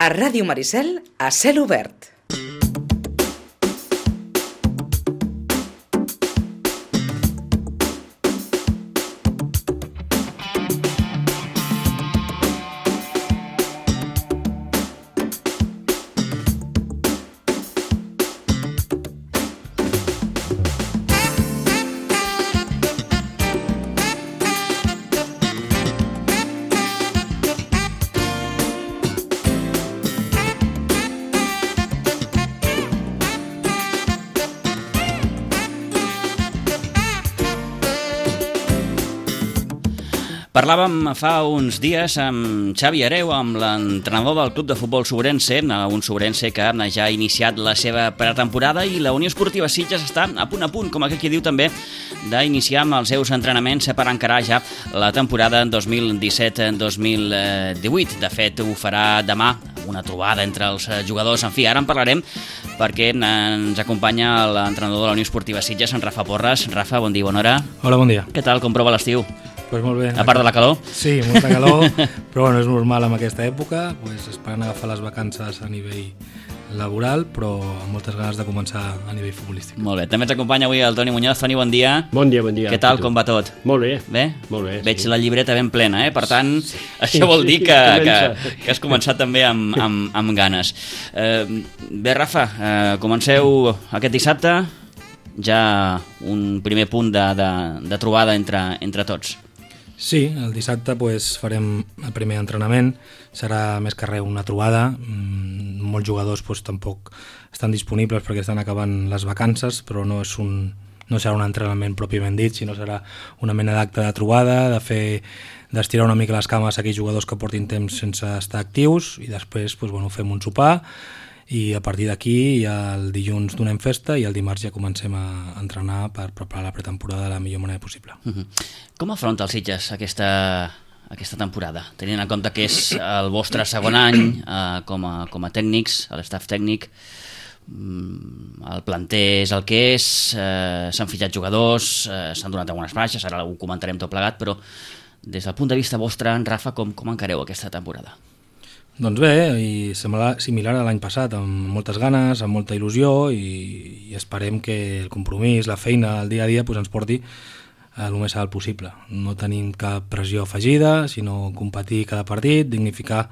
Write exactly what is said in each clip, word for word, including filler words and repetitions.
A Ràdio Maricel, a cel obert. Parlàvem fa uns dies amb Xavi Hereu, amb l'entrenador del club de futbol Sobrense, un Sobrense que ja ha iniciat la seva pretemporada, i la Unió Esportiva Sitges està a punt a punt, com aquell qui diu també, d'iniciar amb els seus entrenaments per encarar ja la temporada dos mil disset dos mil divuit. De fet, ho farà demà, una trobada entre els jugadors. En fi, ara en parlarem perquè ens acompanya l'entrenador de la Unió Esportiva Sitges, en Rafa Porres. Rafa, bon dia, bona hora. Hola, bon dia. Què tal, com prova l'estiu? Pues molt bé. A part de la calor? Sí, molta calor, però bueno, és normal en aquesta època, pues esperant agafar les vacances a nivell laboral, però amb moltes ganes de començar a nivell futbolístic. Molt bé, també ens acompanya avui el Toni Muñoz. Toni, bon dia. Bon dia, bon dia. Què tal, com va tot? Molt bé. Bé? Molt bé, Veig sí. la llibreta ben plena, eh? Per tant, Sí. això vol dir que, Sí, que, comença. que has començat també amb, amb, amb ganes. Eh, bé, Rafa, eh, comenceu aquest dissabte, ja un primer punt de, de, de trobada entre, entre tots. Sí, el dissabte pues, farem el primer entrenament, serà més que res una trobada, mm, molts jugadors pues, tampoc estan disponibles perquè estan acabant les vacances, però no, és un, no serà un entrenament pròpiament dit, sinó serà una mena d'acte de trobada, de fer d'estirar una mica les cames a aquells jugadors que portin temps sense estar actius, i després pues, bueno, fem un sopar, i a partir d'aquí ja el dilluns donem festa i el dimarts ja comencem a entrenar per preparar la pretemporada de la millor manera possible. Uh-huh. Com afronta el Sitges aquesta, aquesta temporada? Tenint en compte que és el vostre segon any eh, com, a, com a tècnics, a l'estaf tècnic, el planter és el que és, eh, s'han fitxat jugadors, eh, s'han donat algunes baixes, ara ho comentarem tot plegat, però des del punt de vista vostre, en Rafa, com, com encareu aquesta temporada? Doncs bé, i similar, similar a l'any passat, amb moltes ganes, amb molta il·lusió, i, i esperem que el compromís, la feina, el dia a dia pues, ens porti a el més alt possible. No tenim cap pressió afegida, sinó competir cada partit, dignificar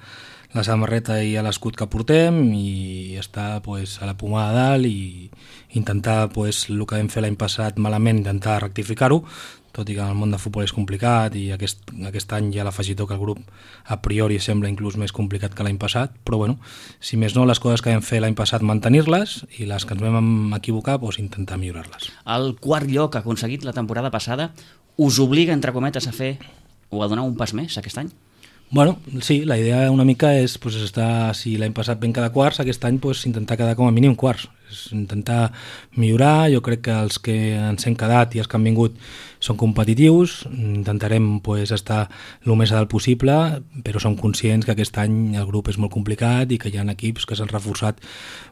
la samarreta i l'escut que portem i estar pues, a la pomada de dalt i intentar pues, el que vam fer l'any passat malament, intentar rectificar-ho, tot i que el món de futbol és complicat i aquest, aquest any ja l'afegitó que el grup a priori sembla inclús més complicat que l'any passat, però bueno, si més no, les coses que vam fer l'any passat mantenir-les i les que ens vam equivocar, doncs intentar millorar-les. El quart lloc aconseguit la temporada passada us obliga, entre cometes, a fer o a donar un pas més aquest any? Bueno, sí, la idea una mica és pues, estar, si l'any passat vam quedar quarts, aquest any pues, intentar quedar com a mínim quarts, és intentar millorar. Jo crec que els que ens hem quedat i els que han vingut són competitius, intentarem pues, estar el més a dalt possible, però som conscients que aquest any el grup és molt complicat i que hi ha equips que s'han reforçat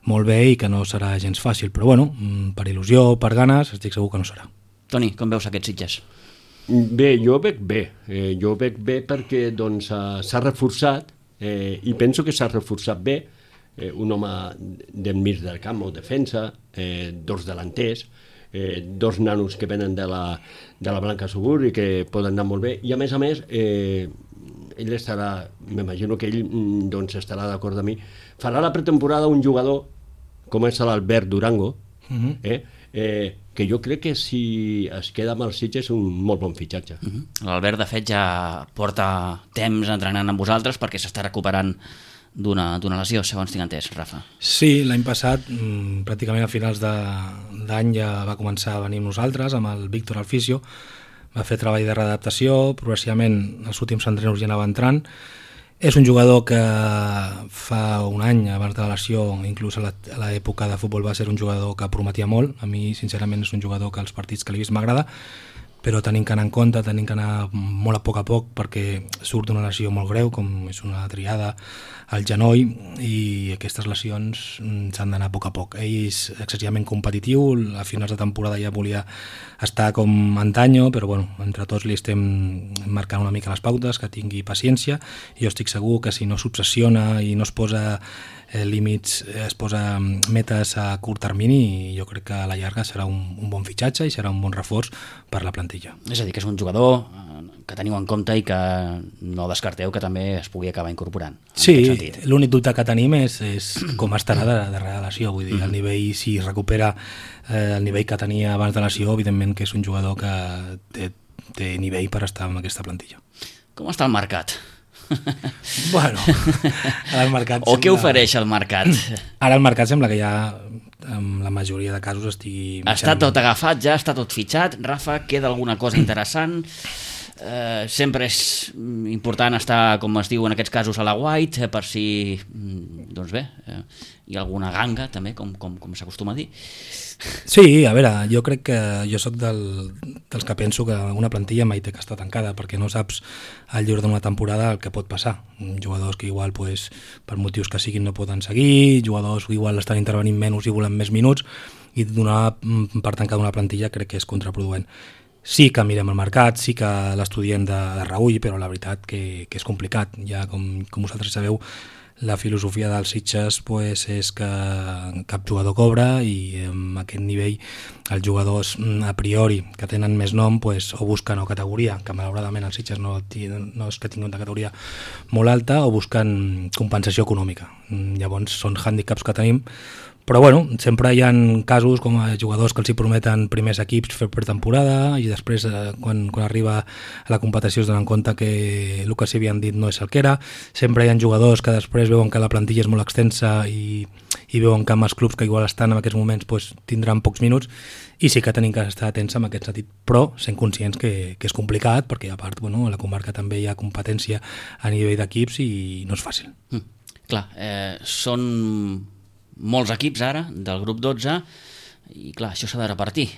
molt bé i que no serà gens fàcil, però bueno, per il·lusió, per ganes, estic segur que no serà. Toni, com veus aquests Sitges? Bé, jo veig bé. Eh, jo veig bé perquè doncs, s'ha reforçat eh, i penso que s'ha reforçat bé. Eh, un home del mig del camp o defensa, eh, dos delanters, eh, dos nanos que venen de la, de la Blanca Subur i que poden anar molt bé. I a més a més, eh, ell estarà, m'imagino que ell doncs, estarà d'acord amb mi, farà la pretemporada un jugador com és l'Albert Durango, uh-huh. eh, eh, que jo crec que si es queda amb el Sitges és un molt bon fitxatge. Uh-huh. L'Albert, de fet, ja porta temps entrenant amb vosaltres perquè s'està recuperant d'una, d'una lesió, segons tinc entès, Rafa. Sí, l'any passat, mmm, pràcticament a finals de, d'any ja va començar a venir amb nosaltres, amb el Víctor Alfisio, va fer treball de readaptació, progressivament els últims entrenos ja anava entrant. És un jugador que fa un any, abans de la lesió, inclús a l'època de futbol base, era un jugador que prometia molt. A mi, sincerament, és un jugador que els partits que l'he vist m'agrada, però tenim que anar en compte, tenim que anar molt a poc a poc perquè surt una lesió molt greu, com és una triada al genoll, i aquestes lesions s'han d'anar a poc a poc. Ell és excessivament competitiu, a finals de temporada ja volia estar com antanyo, però bueno, entre tots li estem marcant una mica les pautes, que tingui paciència, i jo estic segur que si no s'obsessiona i no es posa eh, límits, es posa metes a curt termini, jo crec que a la llarga serà un, un bon fitxatge i serà un bon reforç per la plantilla. És a dir, que és un jugador que teniu en compte i que no descarteu que també es pugui acabar incorporant. Sí, l'únic dubte que tenim és, és com estarà de, de relació, vull dir, el nivell, si recupera eh, el nivell que tenia abans de la lesió, evidentment que és un jugador que té, té nivell per estar en aquesta plantilla. Com està el mercat? Bueno, el mercat o sembla... què ofereix el mercat? Ara el mercat sembla que ja en la majoria de casos estigui... Està tot agafat, ja està tot fitxat. Rafa, queda alguna cosa interessant? Eh, sempre és important estar, com es diu en aquests casos, a la white, per si, doncs bé, eh, hi ha alguna ganga també, com, com, com s'acostuma a dir. Sí, a veure, jo crec que jo sóc del, dels que penso que una plantilla mai té que estar tancada, perquè no saps al llarg d'una temporada el que pot passar. Jugadors que igual pues, per motius que siguin no poden seguir, jugadors que igual estan intervenint menys i volen més minuts, i donar per tancada una plantilla crec que és contraproduent. Sí que mirem el mercat, sí que l'estudiem de, de reull, però la veritat que, que és complicat. Ja, com, com vosaltres sabeu, la filosofia dels Sitges pues, és que cap jugador cobra, i amb aquest nivell els jugadors a priori que tenen més nom pues, o busquen o categoria, que malauradament els Sitges no, no és que tinguin una categoria molt alta, o busquen compensació econòmica. Llavors són hàndicaps que tenim, però bueno, sempre hi ha casos com a jugadors que els hi prometen primers equips fer per temporada i després eh, quan, quan arriba a la competició es donen compte que el que s'hi havien dit no és el que era. Sempre hi ha jugadors que després veuen que la plantilla és molt extensa i, i veuen que amb els clubs que igual estan en aquests moments pues, tindran pocs minuts, i sí que tenim que estar atents en aquest sentit, però sent conscients que, que és complicat, perquè a part bueno, a la comarca també hi ha competència a nivell d'equips i no és fàcil. Mm, clar, eh, són molts equips ara, del grup dotze, i clar, això s'ha de repartir.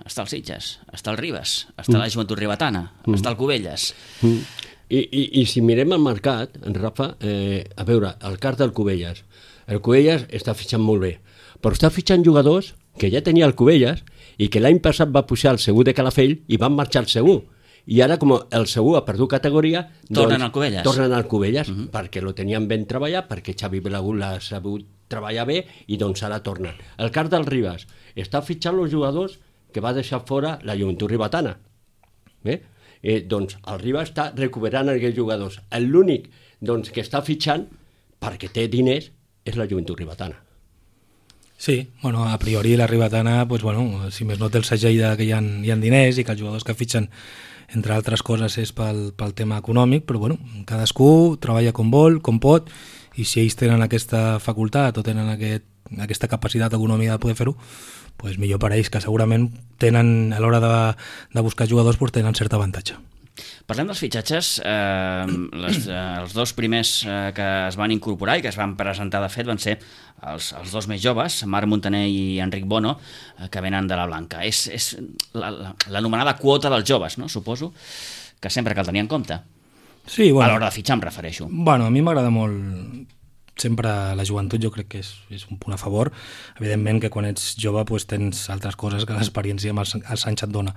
Està el Sitges, està el Ribes, està mm. la Joventut Ribetana, mm. està el Cubelles. Mm. I, i, I si mirem el mercat, en Rafa, eh, a veure, el cas del Cubelles. El Cubelles està fitxant molt bé, però està fitxant jugadors que ja tenia el Cubelles i que l'any passat va pujar el Segur de Calafell i van marxar al Segur. I ara, com el Segur ha perdut categoria, tornen doncs, al Cubelles. Tornen al Cubelles, uh -huh. perquè lo tenien ben treballat, perquè Xavi Belagut l'ha sabut treballar bé, i doncs ara tornen. El cas del Ribas està fitxant els jugadors que va deixar fora la Joventut Ribetana. Bé? Eh, doncs el Ribas està recuperant aquests jugadors. L'únic doncs, que està fitxant, perquè té diners, és la Joventut Ribetana. Sí, bueno, a priori la Ribetana, pues, bueno, si més no té el segell de que hi ha, hi ha diners i que els jugadors que fitxen, entre altres coses, és pel, pel tema econòmic, però bueno, cadascú treballa com vol, com pot, i si ells tenen aquesta facultat o tenen aquest, aquesta capacitat econòmica de poder fer-ho, pues millor per ells, que segurament tenen, a l'hora de, de buscar jugadors, pues tenen cert avantatge. Parlem dels fitxatges. Eh, les, eh, els dos primers eh, que es van incorporar i que es van presentar, de fet, van ser els, els dos més joves, Marc Montaner i Enric Bono, eh, que venen de la Blanca. És, és l'anomenada la, quota dels joves, no? Suposo que sempre cal tenir en compte. Sí, bueno, a l'hora de fitxar, em refereixo. Bueno, a mi m'agrada molt sempre la joventut, jo crec que és, és un punt a favor. Evidentment que quan ets jove pues, tens altres coses que l'experiència amb els, els anys et dona.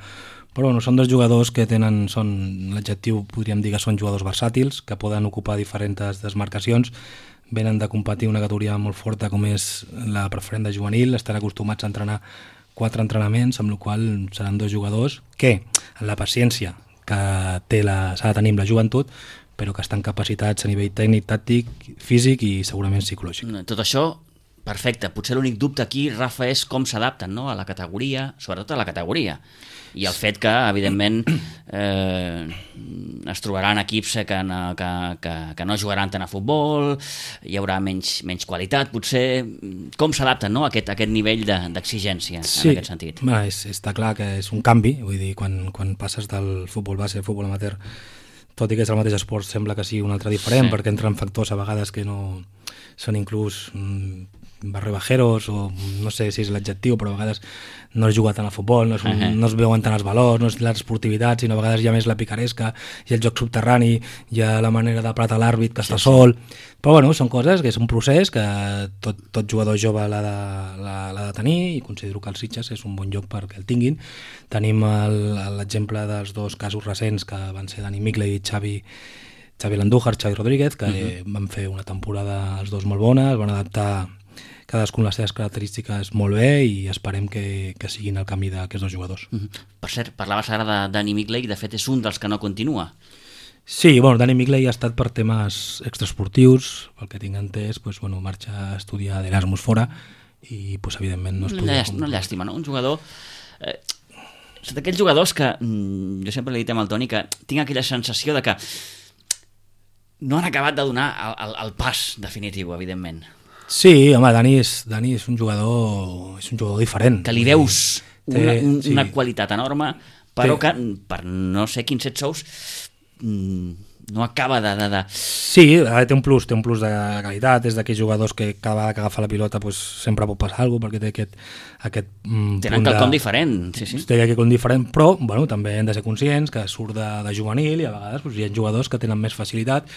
Però bueno, són dos jugadors que tenen, són l'adjectiu, podríem dir que són jugadors versàtils, que poden ocupar diferents desmarcacions, venen de competir una categoria molt forta com és la preferent de juvenil, estan acostumats a entrenar quatre entrenaments, amb la qual cosa seran dos jugadors que, en la paciència que té la, s'ha de tenir amb la joventut, però que estan capacitats a nivell tècnic, tàctic, físic i segurament psicològic. Tot això, perfecte. Potser l'únic dubte aquí, Rafa, és com s'adapten, no?, a la categoria, sobretot a la categoria. I el fet que, evidentment, eh, es trobaran equips que no, que, que, que no jugaran tant a futbol, hi haurà menys, menys qualitat, potser. Com s'adapten, no?, a aquest, a aquest nivell d'exigència, sí, en aquest sentit? Sí, és, està clar que és un canvi, vull dir, quan, quan passes del futbol base al futbol amateur, tot i que és el mateix esport, sembla que sigui un altre diferent, sí, perquè entren factors a vegades que no són inclús mm, barrebajeros, o no sé si és l'adjectiu, però a vegades no es juga tant al futbol, no es, Uh-huh. no es veuen tant els valors, no és l'esportivitat, sinó a vegades hi ha més la picaresca, hi ha el joc subterrani, hi ha la manera de platar l'àrbit que està sol, però bueno, són coses que és un procés que tot, tot jugador jove l'ha de, l'ha, l'ha de tenir, i considero que el Sitges és un bon lloc perquè el tinguin. Tenim el- l'exemple dels dos casos recents que van ser Dani Migley i Xavi Xavi Landújar, Xavi Rodríguez, que uh-huh. van fer una temporada els dos molt bona, es van adaptar cadascun les seves característiques molt bé, i esperem que, que siguin el camí d'aquests dos jugadors. Uh-huh. Per cert, parlaves ara de Dani Migley, de fet és un dels que no continua. Sí, bueno, Dani Migley ha estat per temes extraesportius, pel que tinc entès, pues, bueno, marxa a estudiar d'Erasmus fora, i pues, evidentment no es podia... Llàstima, una llàstima, no? Un jugador... Eh, d'aquells jugadors que, mm, jo sempre li he dit amb el Toni, que tinc aquella sensació de que no han acabat de donar el, el, el pas definitiu, evidentment. Sí, home, Dani és, Dani és un jugador és un jugador diferent. Que li veus Té- una, un, sí. una qualitat enorme, però Té- que per no sé quins set sous mm, no acaba de... de, de... Sí, té un plus, té un plus de qualitat, és d'aquells jugadors que cada vegada que agafa la pilota pues, sempre pot passar alguna cosa, perquè té aquest, aquest mm, Tenen punt quelcom de... diferent, sí, sí. Té quelcom diferent, però bueno, també hem de ser conscients que surt de, de juvenil, i a vegades pues, hi ha jugadors que tenen més facilitat,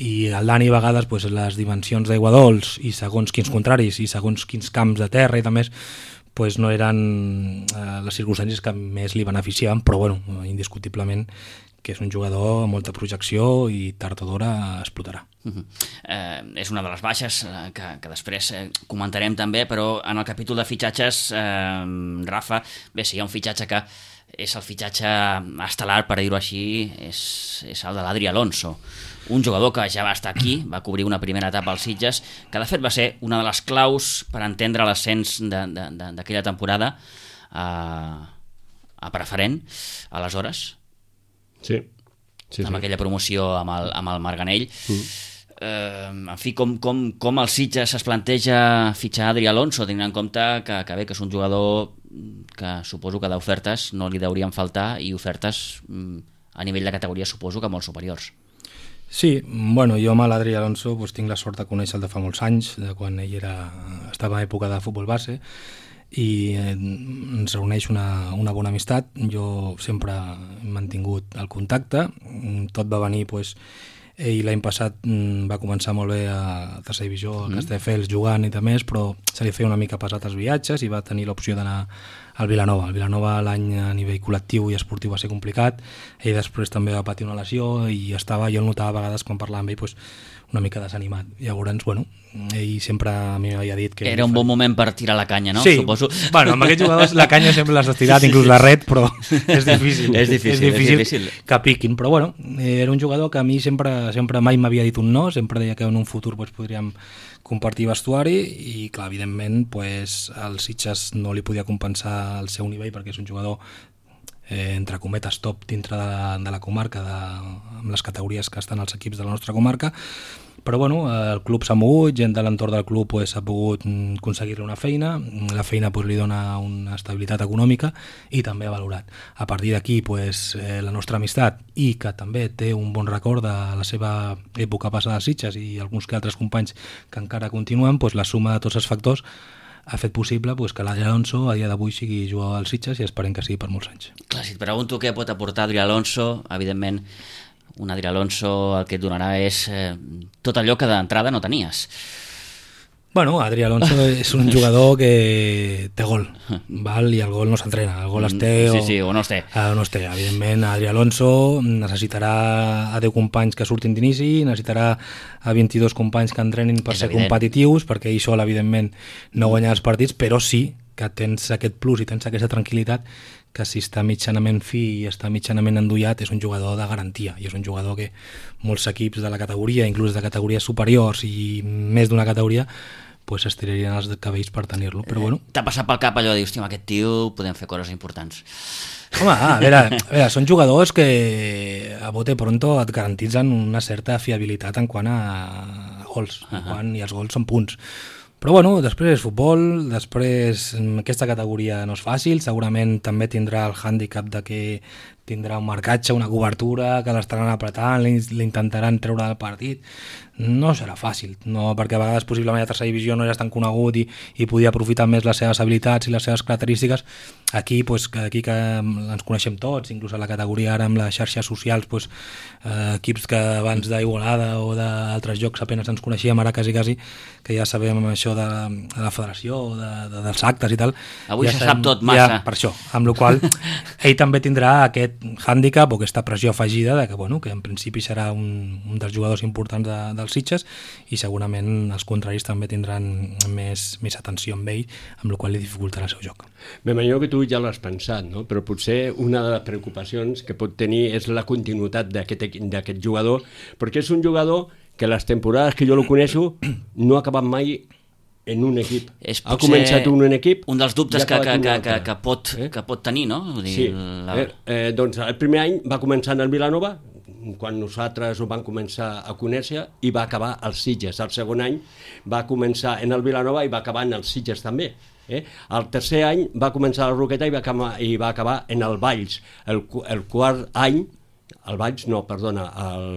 i el Dani a vegades pues, les dimensions d'aigua dolç i segons quins contraris i segons quins camps de terra i també pues, no eren eh, les circumstàncies que més li beneficiaven, però bueno, indiscutiblement que és un jugador amb molta projecció i tard o d'hora explotarà. Uh-huh. eh, és una de les baixes eh, que, que després eh, comentarem també, però en el capítol de fitxatges, eh, Rafa, bé, si hi ha un fitxatge que és el fitxatge estel·lar, per dir-ho així, és, és el de l'Adri Alonso, un jugador que ja va estar aquí, va cobrir una primera etapa als Sitges, que de fet va ser una de les claus per entendre l'ascens de- de- de- d'aquella temporada a, a preferent, aleshores, Sí, sí, amb sí. aquella promoció amb el, amb el Marganell. Mm. Eh, en fi, com, com, com el Sitges es planteja fitxar Adri Alonso, tenint en compte que, que bé, que és un jugador que suposo que d'ofertes no li deurien faltar, i ofertes mm, a nivell de categoria suposo que molt superiors. Sí, bueno, jo amb l'Adri Alonso pues, tinc la sort de conèixer-lo de fa molts anys, de quan ell era, estava a època de futbol base, i eh, ens reuneix una, una bona amistat. Jo sempre he mantingut el contacte, tot va venir pues, ell l'any passat mm, va començar molt bé a tercera divisió, a Castelldefels, jugant i de més, però se li feia una mica pesat els viatges i va tenir l'opció d'anar al Vilanova. El Vilanova l'any a nivell col·lectiu i esportiu va ser complicat, ell després també va patir una lesió i estava, jo el notava a vegades quan parlava amb ell pues, una mica desanimat. Llavors, bueno, ell sempre a mi m'havia dit que... Era un bon moment per tirar la canya, no? Sí, Suposo. bueno, amb aquests jugadors la canya sempre l'has estirat, inclús la red, però és difícil. És difícil, és difícil, és difícil. que piquin, però bueno, era un jugador que a mi sempre, sempre mai m'havia dit un no, sempre deia que en un futur pues, podríem compartir vestuari, i clar, evidentment pues, el Sitges no li podia compensar el seu nivell perquè és un jugador eh, entre cometes top dintre de la, de la comarca, de, amb les categories que estan als equips de la nostra comarca, però bueno, el club s'ha mogut, gent de l'entorn del club pues, ha pogut mm, aconseguir-li una feina, la feina pues, li dona una estabilitat econòmica i també ha valorat. A partir d'aquí pues, eh, la nostra amistat, i que també té un bon record de la seva època passada a Sitges i alguns que altres companys que encara continuen, pues, la suma de tots els factors ha fet possible pues, que l'Adri Alonso a dia d'avui sigui jugador del Sitges, i esperem que sigui per molts anys. Clar, si et pregunto què pot aportar Adri Alonso, evidentment un Adri Alonso el que et donarà és eh, tot allò que d'entrada no tenies. Bueno, Adri Alonso és un jugador que té gol, val? I el gol no s'entrena, el gol es té Sí, o, sí, o no es té. Ah, no es té. Evidentment, Adri Alonso necessitarà a deu companys que surtin d'inici, necessitarà a vint-i-dos companys que entrenin per És ser evident. competitius, perquè ell sol, evidentment, no guanya els partits, però sí que tens aquest plus i tens aquesta tranquil·litat que si està mitjanament fi i està mitjanament endollat és un jugador de garantia, i és un jugador que molts equips de la categoria, inclús de categories superiors i més d'una categoria, pues estirarien els cabells per tenir-lo, però bueno. T'ha passat pel cap allò de dir, hòstia, amb aquest tio podem fer coses importants. Home, a veure, a veure, són jugadors que a bote pronto et garantitzen una certa fiabilitat en quant a gols, en Uh-huh. quant, i els gols són punts. Però bueno, després és futbol, després aquesta categoria no és fàcil, segurament també tindrà el hàndicap de que tindrà un marcatge, una cobertura, que l'estaran apretant, l'intentaran treure del partit. No serà fàcil, no, perquè a vegades possiblement a tercera divisió no eres tan conegut i, i podia aprofitar més les seves habilitats i les seves característiques. Aquí, pues, aquí que ens coneixem tots, inclús a la categoria ara amb les xarxes socials, pues, eh, equips que abans d'Igualada o d'altres jocs apenas ens coneixíem, ara quasi, quasi que ja sabem això de, de la federació, de, de, dels actes i tal. Avui ja se sabem, sap tot massa. Ja, per això, amb la qual ell també tindrà aquest hàndicap o aquesta pressió afegida de que, bueno, que en principi serà un, un dels jugadors importants de, dels Sitges i segurament els contraris també tindran més, més atenció amb ell, amb la qual li dificultarà el seu joc. M'imagino que tu ja l'has pensat, no? Però potser una de les preocupacions que pot tenir és la continuïtat d'aquest jugador, perquè és un jugador que les temporades que jo lo coneixo no ha acabat mai en un equip. És ha començat un, un equip... Un dels dubtes que, que, que, que, que, pot, eh? que pot tenir, no? Vull dir, sí, la... eh, eh, doncs el primer any va començar en el Vilanova, quan nosaltres ho vam començar a conèixer, i va acabar als Sitges. El segon any va començar en el Vilanova i va acabar en els Sitges també. Eh? El tercer any va començar a la Roqueta i va acabar, i va acabar en el Valls. El, el quart any, el Valls no, perdona, el,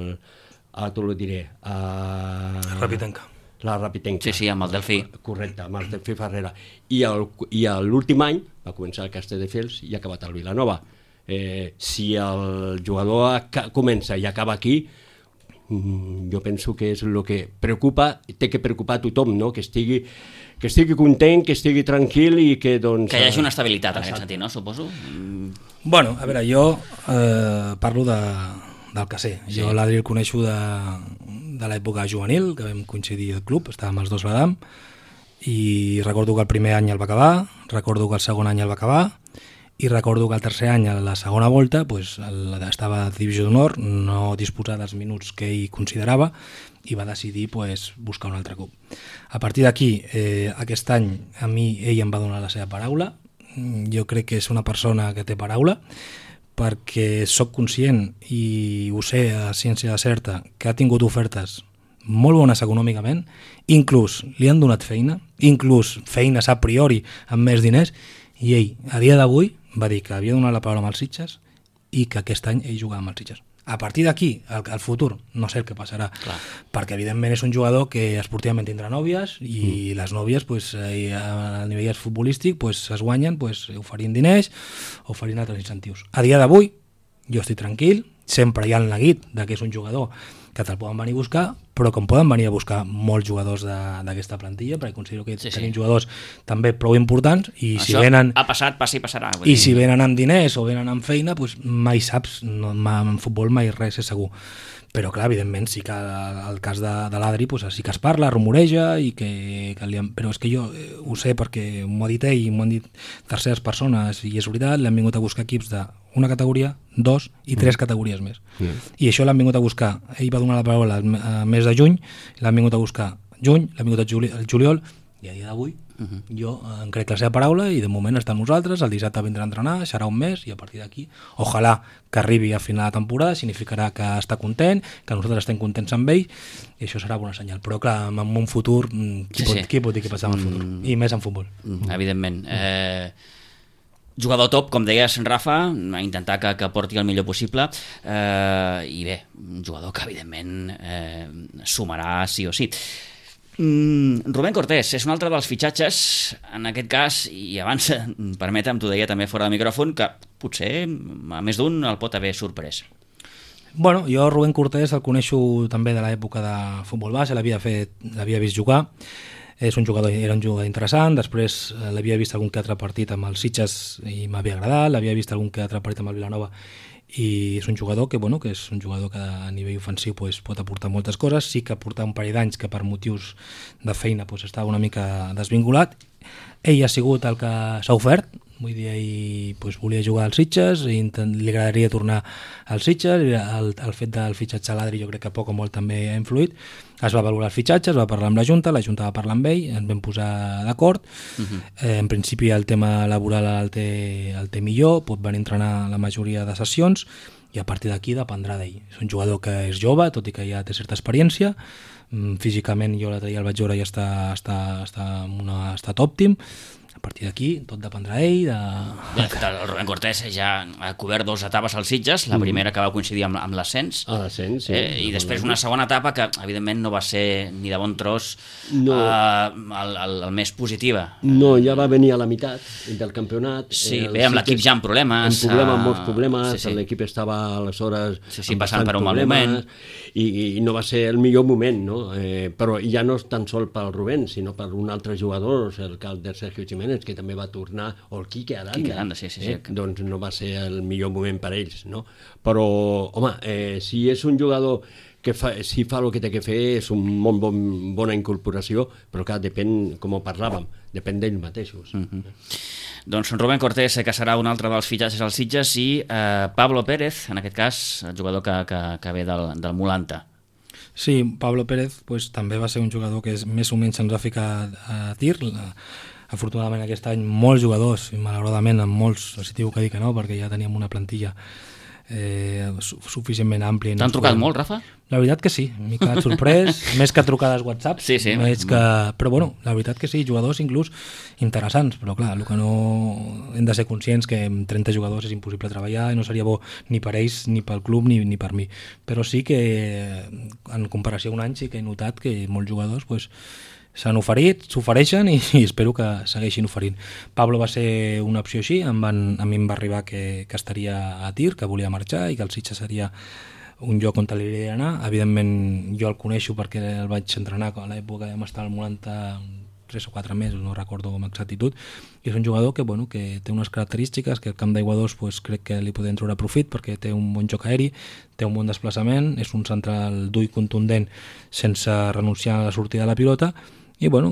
el, t'ho diré, el, Rapitenca. La Rapitenca. Sí, sí, amb el Delfí. Correcte, amb el Delfí Ferrera. I, el, i l'últim any va començar a Castelldefels i ha acabat al Vilanova. Eh, si el jugador comença i acaba aquí, jo penso que és el que preocupa, té que preocupar a tothom, no? que, estigui, que estigui content, que estigui tranquil i que doncs... Que hi hagi una estabilitat en aquest sentit, no? Suposo. Bueno, a veure, jo eh, parlo de, del que sé. Sí. Jo l'Adri el coneixo de, de l'època juvenil, que vam coincidir al club, estàvem els dos a l'Adam, i recordo que el primer any el va acabar, recordo que el segon any el va acabar, i recordo que el tercer any, a la segona volta, pues, el, estava a divisió d'honor, no disposar dels minuts que ell considerava, i va decidir pues, buscar un altre club. A partir d'aquí, eh, aquest any, a mi ell em va donar la seva paraula. Jo crec que és una persona que té paraula, perquè sóc conscient, i ho sé a ciència certa, que ha tingut ofertes molt bones econòmicament, inclús li han donat feina, inclús feines a priori amb més diners, i ell, a dia d'avui, va dir que havia donat la paraula amb els Sitges i que aquest any ell jugava amb els Sitges. A partir d'aquí, al, al futur, no sé el que passarà, clar, perquè evidentment és un jugador que esportivament tindrà nòvies i mm. les nòvies pues, eh, a nivell futbolístic pues, es guanyen pues, oferint diners, oferint altres incentius. A dia d'avui, jo estic tranquil, sempre hi ha el neguit de que és un jugador que te'l poden venir a buscar, però com poden venir a buscar molts jugadors d'aquesta plantilla, perquè considero que sí, tenim sí. jugadors també prou importants, i això si venen... ha passat, passa i passarà. I dir. Si venen amb diners o venen amb feina, doncs mai saps, no, en futbol mai res és segur. Però clar, evidentment sí que el cas de, de l'Adri pues, sí que es parla, rumoreja, i que, que li han... però és que jo eh, ho sé perquè m'ho ha dit ell, m'ho han dit terceres persones, i és veritat, l'han vingut a buscar equips d'una categoria, dos i tres mm. categories més. Mm. I això l'han vingut a buscar, ell va donar la paraula al mes de juny, l'han vingut a buscar juny, l'han vingut a juli, al juliol, i a dia d'avui uh -huh. jo em crec la seva paraula i de moment està amb nosaltres, el dissabte vindrà a entrenar, serà un mes, i a partir d'aquí ojalà que arribi a final de temporada, significarà que està content, que nosaltres estem contents amb ell, i això serà bona senyal. Però clar, en un futur qui, sí, pot, sí. qui pot dir què passarà en el futur, mm. i més en futbol. Mm, evidentment. Mm. Eh, jugador top, com deies, Rafa, a intentar que, que porti el millor possible, eh, i bé, un jugador que evidentment eh, sumarà sí o sí. Mm, Rubén Cortés és un altre dels fitxatges, en aquest cas, i abans, permetem, t'ho deia també fora de micròfon, que potser a més d'un el pot haver sorprès. Bueno, jo Rubén Cortés el coneixo també de l'època de futbol base, l'havia fet, l'havia vist jugar, és un jugador, era un jugador interessant, després l'havia vist algun que altre partit amb els Sitges i m'havia agradat, l'havia vist algun que altre partit amb el Vilanova, i és un jugador que, bueno, que és un jugador que a nivell ofensiu pues, pot aportar moltes coses, sí que portar un parell d'anys que per motius de feina pues, estava una mica desvinculat. Ell ha sigut el que s'ha ofert, vull dir, ell pues, volia jugar als Sitges, i li agradaria tornar als Sitges, el, el fet del fitxatge a l'Adri jo crec que poc o molt també ha influït, es va valorar el fitxatge, es va parlar amb la Junta, la Junta va parlar amb ell, ens vam posar d'acord, uh-huh. eh, en principi el tema laboral el té, el té millor, pot venir a entrenar la majoria de sessions, i a partir d'aquí dependrà d'ell. És un jugador que és jove, tot i que ja té certa experiència, físicament jo l'altre dia el vaig veure i està, està, està en un estat òptim. partir d'aquí tot dependrà ell. De... De fet, el Rubén Cortés ja ha cobert dues etapes als Sitges, la primera que va coincidir amb, amb l'ascens, A l'ascens, sí. eh, i després una segona etapa que, evidentment, no va ser ni de bon tros No. eh, el, el, el més positiva. No, ja va venir a la meitat del campionat. Sí, Eh, bé, amb l'equip Sitges- ja amb problemes. Amb problemes, eh, molts problemes, sí, sí. l'equip estava aleshores Sí, sí, amb passant bastants per un mal problemes, moment. I, i no va ser el millor moment, no? Eh, però ja no és tan sol pel Rubén, sinó per un altre jugador, el Calder Sergio Jiménez, que també va tornar, o el Quique Aranda. Quique Aranda, sí, sí, sí. Eh? Doncs no va ser el millor moment per ells, no? Però, home, eh, si és un jugador que fa, si fa el que té que fer, és un molt bon, bona incorporació, però clar, depèn, com ho parlàvem, depèn d'ells mateixos. Mm -hmm. Doncs Rubén Cortés, que serà un altre dels fitxatges als Sitges, i eh, Pablo Pérez, en aquest cas, el jugador que, que, que ve del, del Molanta. Sí, Pablo Pérez pues, també va ser un jugador que és més o menys ens va ficar a tir. Afortunadament aquest any molts jugadors, i malauradament amb molts, els diu que dir que no, perquè ja teníem una plantilla eh, suficientment àmplia. T'han trucat molt, Rafa? La veritat que sí, m'he quedat sorprès, més que trucades WhatsApp, sí, sí. Més que... però bueno, la veritat que sí, jugadors inclús interessants, però clar, el que no hem de ser conscients que amb trenta jugadors és impossible treballar i no seria bo ni per ells, ni pel club, ni, ni per mi, però sí que en comparació a un any sí que he notat que molts jugadors pues, s'han oferit, s'ofereixen i, i espero que segueixin oferint. Pablo va ser una opció així, em van, a mi em va arribar que, que estaria a tir, que volia marxar i que el Sitges seria un lloc on li hauria d'anar. Evidentment jo el coneixo perquè el vaig entrenar a l'època que vam estar al Molanta tres o quatre mesos, no recordo amb exactitud, i és un jugador que, bueno, que té unes característiques que el camp d'aigua dos pues, crec que li podem treure profit perquè té un bon joc aeri, té un bon desplaçament, és un central dur i contundent sense renunciar a la sortida de la pilota, i bueno,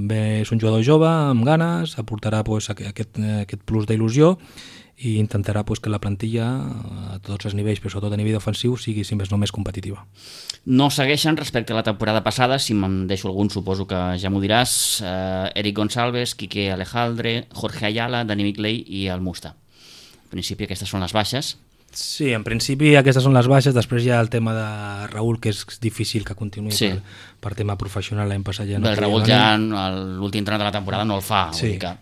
bé, és un jugador jove amb ganes, aportarà pues, aquest, aquest plus d'il·lusió i intentarà pues, que la plantilla a tots els nivells, però sobretot a nivell ofensiu, sigui si més no més competitiva. No segueixen respecte a la temporada passada, si me'n deixo algun suposo que ja m'ho diràs, eh, Eric Gonçalves, Quique Alejandre, Jorge Ayala, Dani Miclei i el Musta. En principi aquestes són les baixes. Sí, en principi aquestes són les baixes, després hi ha el tema de Raül, que és difícil que continuï sí. per, per tema professional, l'any passat ja no. El Raül ja l'últim tram de la temporada no el fa. Sí. Vull dir que...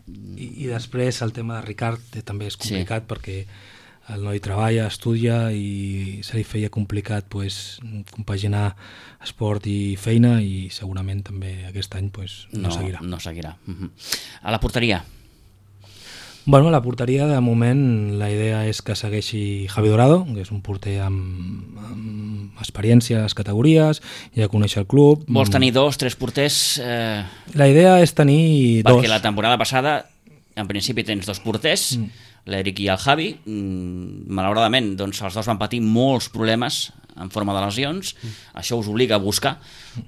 I, I després el tema de Ricard també és complicat sí. perquè el noi treballa, estudia i se li feia complicat pues, compaginar esport i feina i segurament també aquest any pues, no, no seguirà. No seguirà. Uh-huh. A la porteria? Bueno, a la porteria, de moment, la idea és que segueixi Javi Dorado, que és un porter amb, amb experiència a les categories, ja coneix el club. Vols tenir dos, tres porters? Eh... La idea és tenir Perquè dos. Perquè la temporada passada, en principi, tens dos porters, mm. l'Eric i el Javi. Mm, malauradament, doncs, els dos van patir molts problemes en forma de lesions. Mm. Això us obliga a buscar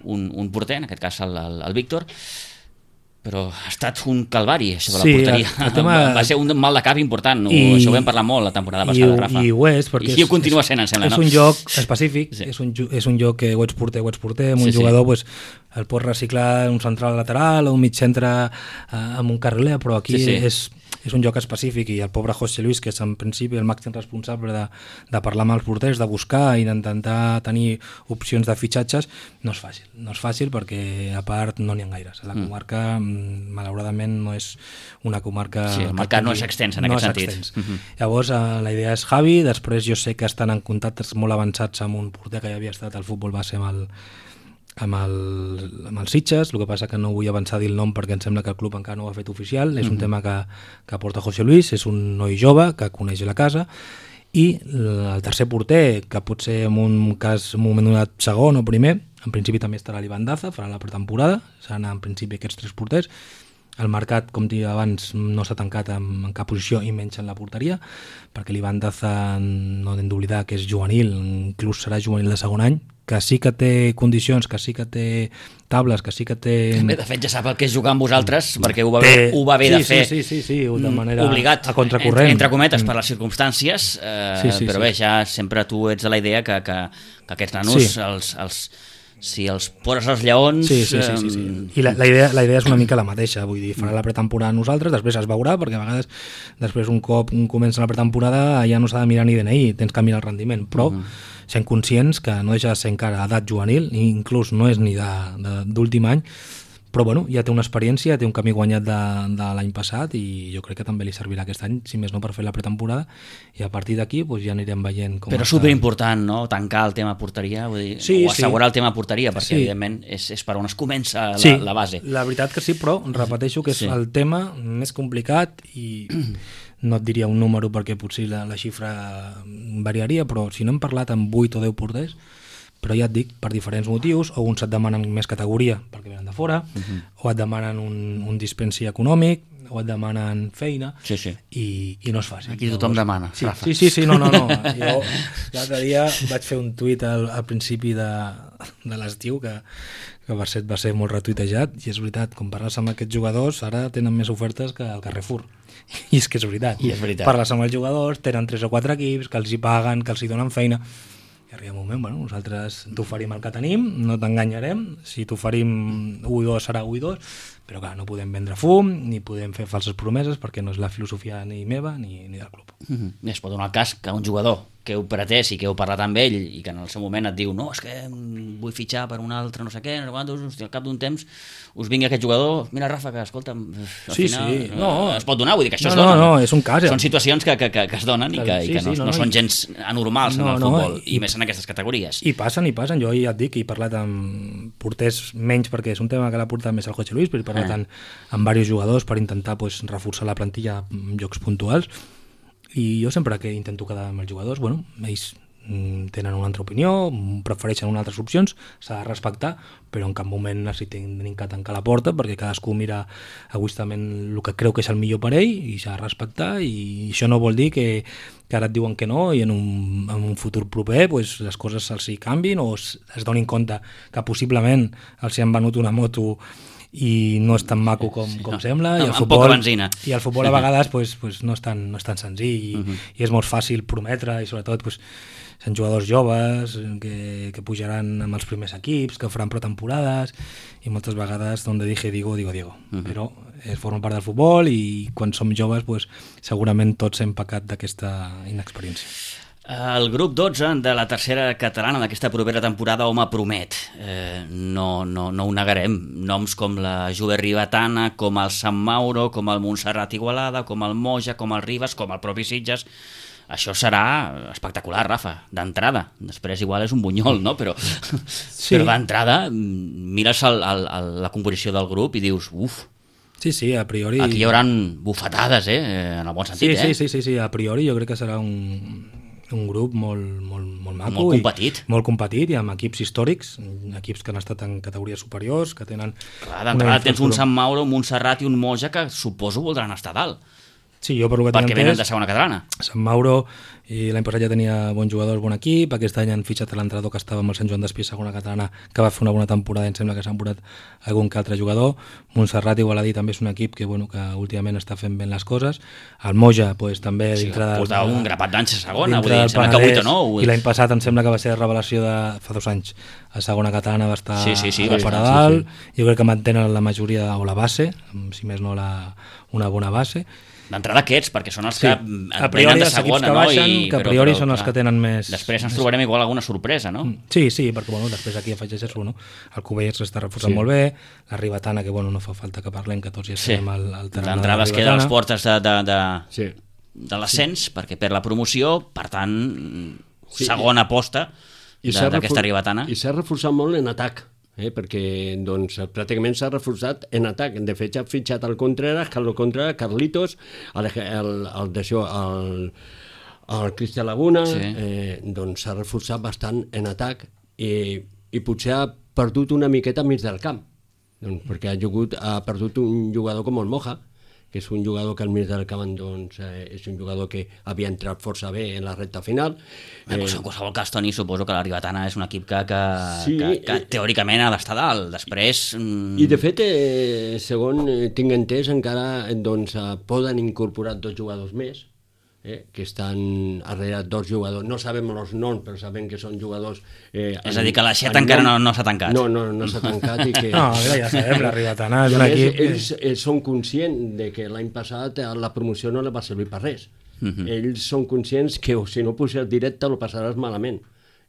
un, un porter, en aquest cas el, el, el Víctor. Però ha estat un calvari, això de la sí, porteria. El, el tema... Va ser un mal de cap important. I, això ho vam parlar molt la temporada passada, i, Rafa. I ho és, perquè I ho continua sent, em sembla, és no? És un joc específic, sí. és, un, és un joc que ho ets porter, ho ets porter, amb un sí, jugador sí. pues, el pots reciclar un central lateral o un mig centre eh, amb un carriler, però aquí sí, sí. és... és un joc específic i el pobre José Luis, que és en principi el màxim responsable de, de parlar amb els porters, de buscar i d'intentar tenir opcions de fitxatges, no és fàcil. No és fàcil perquè a part no n'hi ha gaires. La comarca, mm. malauradament, no és una comarca... Sí, el mercat no és extens en no aquest sentit. Uh-huh. Llavors, eh, la idea és Javi, després jo sé que estan en contactes molt avançats amb un porter que ja havia estat al futbol base amb el amb el, amb els Sitges, el que passa que no vull avançar a dir el nom perquè em sembla que el club encara no ho ha fet oficial, és un uh-huh. tema que, que porta José Luis, és un noi jove que coneix la casa, i el tercer porter, que pot ser en un cas en un moment donat segon o primer, en principi també estarà l'Ivan Daza, farà la pretemporada, seran en principi aquests tres porters. El mercat, com dic abans, no s'ha tancat en, en cap posició i menys en la porteria, perquè l'Ivan Daza no hem d'oblidar que és juvenil, inclús serà juvenil de segon any, que sí que té condicions, que sí que té tables, que sí que té... Bé, de fet ja sap el que és jugar amb vosaltres, perquè ho va bé, ho va bé sí, de fer sí, sí, sí, sí, de manera obligat, a contracorrent. Entre, entre cometes, per les circumstàncies, eh, sí, sí, però sí. bé, ja sempre tu ets de la idea que, que, que aquests nanos, sí. els, els, si els poses als lleons... Sí, sí, sí, sí, sí. I la, la, idea, la idea és una mica la mateixa, vull dir, farà la pretemporada nosaltres, després es veurà, perquè a vegades després un cop un comença la pretemporada ja no s'ha de mirar ni D N I, tens que mirar el rendiment, però uh -huh. sent conscients que no deixa de ser encara edat juvenil, i inclús no és ni d'últim any, però bueno, ja té una experiència, té un camí guanyat de, de l'any passat i jo crec que també li servirà aquest any, si més no per fer la pretemporada, i a partir d'aquí pues, ja anirem veient com Però està. superimportant, no?, tancar el tema porteria, vull dir, Sí, o assegurar sí. el tema porteria, perquè Sí. evidentment és, és per on es comença la, Sí, la base. la veritat que sí, però repeteixo que és Sí. el tema més complicat i no et diria un número perquè potser la, la xifra variaria, però si no hem parlat amb vuit o deu porters, però ja et dic, per diferents motius, o uns et demanen més categoria perquè venen de fora, uh -huh. o et demanen un, un dispensi econòmic, o et demanen feina, Sí, sí. i, i no és fàcil. Aquí tothom demana, sí, Rafa. Sí, sí, sí, no, no, no. Jo l'altre dia vaig fer un tuit al, al principi de, de l'estiu que, que va ser, va ser molt retuitejat, i és veritat, com parles amb aquests jugadors, ara tenen més ofertes que el Carrefour. I és que és veritat. I és veritat. Parles amb els jugadors, tenen tres o quatre equips, que els hi paguen, que els hi donen feina, i arriba un moment, bueno, nosaltres t'oferim el que tenim, no t'enganyarem, si t'oferim u i dos serà u i dos, però clar, no podem vendre fum, ni podem fer falses promeses, perquè no és la filosofia ni meva ni, ni del club. Mm-hmm. Es pot donar el cas que un jugador que heu pretès i que heu parlat amb ell i que en el seu moment et diu no, és que vull fitxar per un altre no sé què, no sé quantos, hosti, al cap d'un temps us vingui aquest jugador, mira Rafa, que escolta'm, al Sí, final sí, no. es pot donar, vull dir que això No, es no, dona. no, és un cas, eh? Són situacions que, que, que, que es donen i que, Sí, i que no, sí, no, no, no són i- gens anormals No, en el no, futbol, i, i- més en aquestes categories. I passen, i passen. Jo ja et dic que he parlat amb porters menys, perquè és un tema que l'ha portat més el José Luis, però he parlat Ah. amb, amb diversos jugadors per intentar pues, reforçar la plantilla en llocs puntuals, i jo sempre que intento quedar amb els jugadors, bueno, ells mm, tenen una altra opinió, mm, prefereixen unes altres opcions, s'ha de respectar, però en cap moment necessitem que tancar la porta, perquè cadascú mira egoistament el que creu que és el millor per ell i s'ha de respectar, i això no vol dir que, que ara et diuen que no i en un, en un futur proper pues, les coses se'ls hi canvin o es, es donin compte que possiblement els hi han venut una moto i no és tan maco com, Sí, com no. sembla, Amb- i el amb futbol, poca benzina. i el futbol a vegades pues, pues, no, és tan, no és tan senzill i, Uh -huh. i és molt fàcil prometre, i sobretot pues, són jugadors joves que, que pujaran amb els primers equips, que faran pretemporades, i moltes vegades donde dije digo, digo Diego, uh -huh. però eh, forma part del futbol, i quan som joves pues, segurament tots hem pecat d'aquesta inexperiència. El grup dotze de la tercera catalana d'aquesta propera temporada, home, promet. Eh, no, no, no ho negarem. Noms com la Juve Ribetana, com el Sant Mauro, com el Montserrat Igualada, com el Moja, com el Ribes, com el propi Sitges. Això serà espectacular, Rafa, d'entrada. Després igual és un bunyol, no? Però, Sí. però d'entrada mires el, el, el, la composició del grup i dius, uf, Sí, sí, a priori... aquí hi haurà bufetades, eh? En el bon sentit, sí, eh? sí, sí, sí, sí, a priori jo crec que serà un, un grup molt, molt, molt maco. Molt competit. I, molt competit, i amb equips històrics, equips que han estat en categories superiors, que tenen... Clar, d'entrada tens un infraestructura- Sant Mauro, un Montserrat i un Moja que suposo voldran estar a dalt, Sí, jo per lo que perquè tinc venen entès, de segona catalana. Sant Mauro, i l'any passat ja tenia bons jugadors, bon equip, aquest any han fitxat l'entrenador que estava amb el Sant Joan d'Espí, segona catalana, que va fer una bona temporada, i em sembla que s'han posat algun que altre jugador. Montserrat Igualadí també és un equip que, bueno, que últimament està fent ben les coses. El Moja, pues, també Sí, dintre del... portava un grapat d'anys a segona, dintre vull dir, del em sembla que Penedès, vuit o nou. I l'any passat em sembla que va ser la revelació de fa dos anys. A segona catalana va estar Sí, sí, sí, a va per estar, a dalt. Jo crec que mantenen la majoria, o la base, si més no la, una bona base. D'entrada aquests, perquè són els Sí. que A et priori venen de els equips segona, que no? baixen, I, que a priori són els que tenen més- Després ens trobarem igual alguna sorpresa, no? Sí, sí, perquè bueno, després aquí afegeixes-ho, no? El Cubells s'està reforçant Sí. molt bé, la Ribetana, que bueno, no fa falta que parlem, que tots ja Sí. sabem el, el terreny de D'entrada la es queda a les Ribetana. portes de, de, de, Sí. de l'ascens, perquè per la promoció, per tant, Sí, segona aposta I s'ha de- d'aquesta refor- Ribetana. I s'ha reforçat molt en atac, eh? perquè doncs, pràcticament s'ha reforçat en atac. De fet, ha fitxat el Contreras, Carlos Contreras, Carlitos, el, el, el, d'això, el, el Cristian Laguna, Sí. eh, doncs s'ha reforçat bastant en atac i, i potser ha perdut una miqueta mig del camp, doncs, perquè ha, jugut, ha perdut un jugador com el Moja, que és un jugador que al mig del camp doncs, eh, és un jugador que havia entrat força bé en la recta final. Eh, doncs, en qualsevol cas, Toni, suposo que la Ribetana és un equip que, que, Sí, que, que eh, teòricament ha d'estar dalt. Després... mm, I de fet, eh, segons eh, tinc entès, encara eh, doncs, eh, poden incorporar dos jugadors més, eh, que estan darrere dos jugadors. No sabem els noms, però sabem que són jugadors... Eh, És a dir, que l'aixeta encara no- no s'ha tancat. No, no, no s'ha tancat i que... No, mira, ja sabem, la Ribetana és I un a més, equip... ells eh, són conscients de que l'any passat eh, la promoció no li va servir per res. Mhm. Ells són conscients que o si no puges directe lo passaràs malament.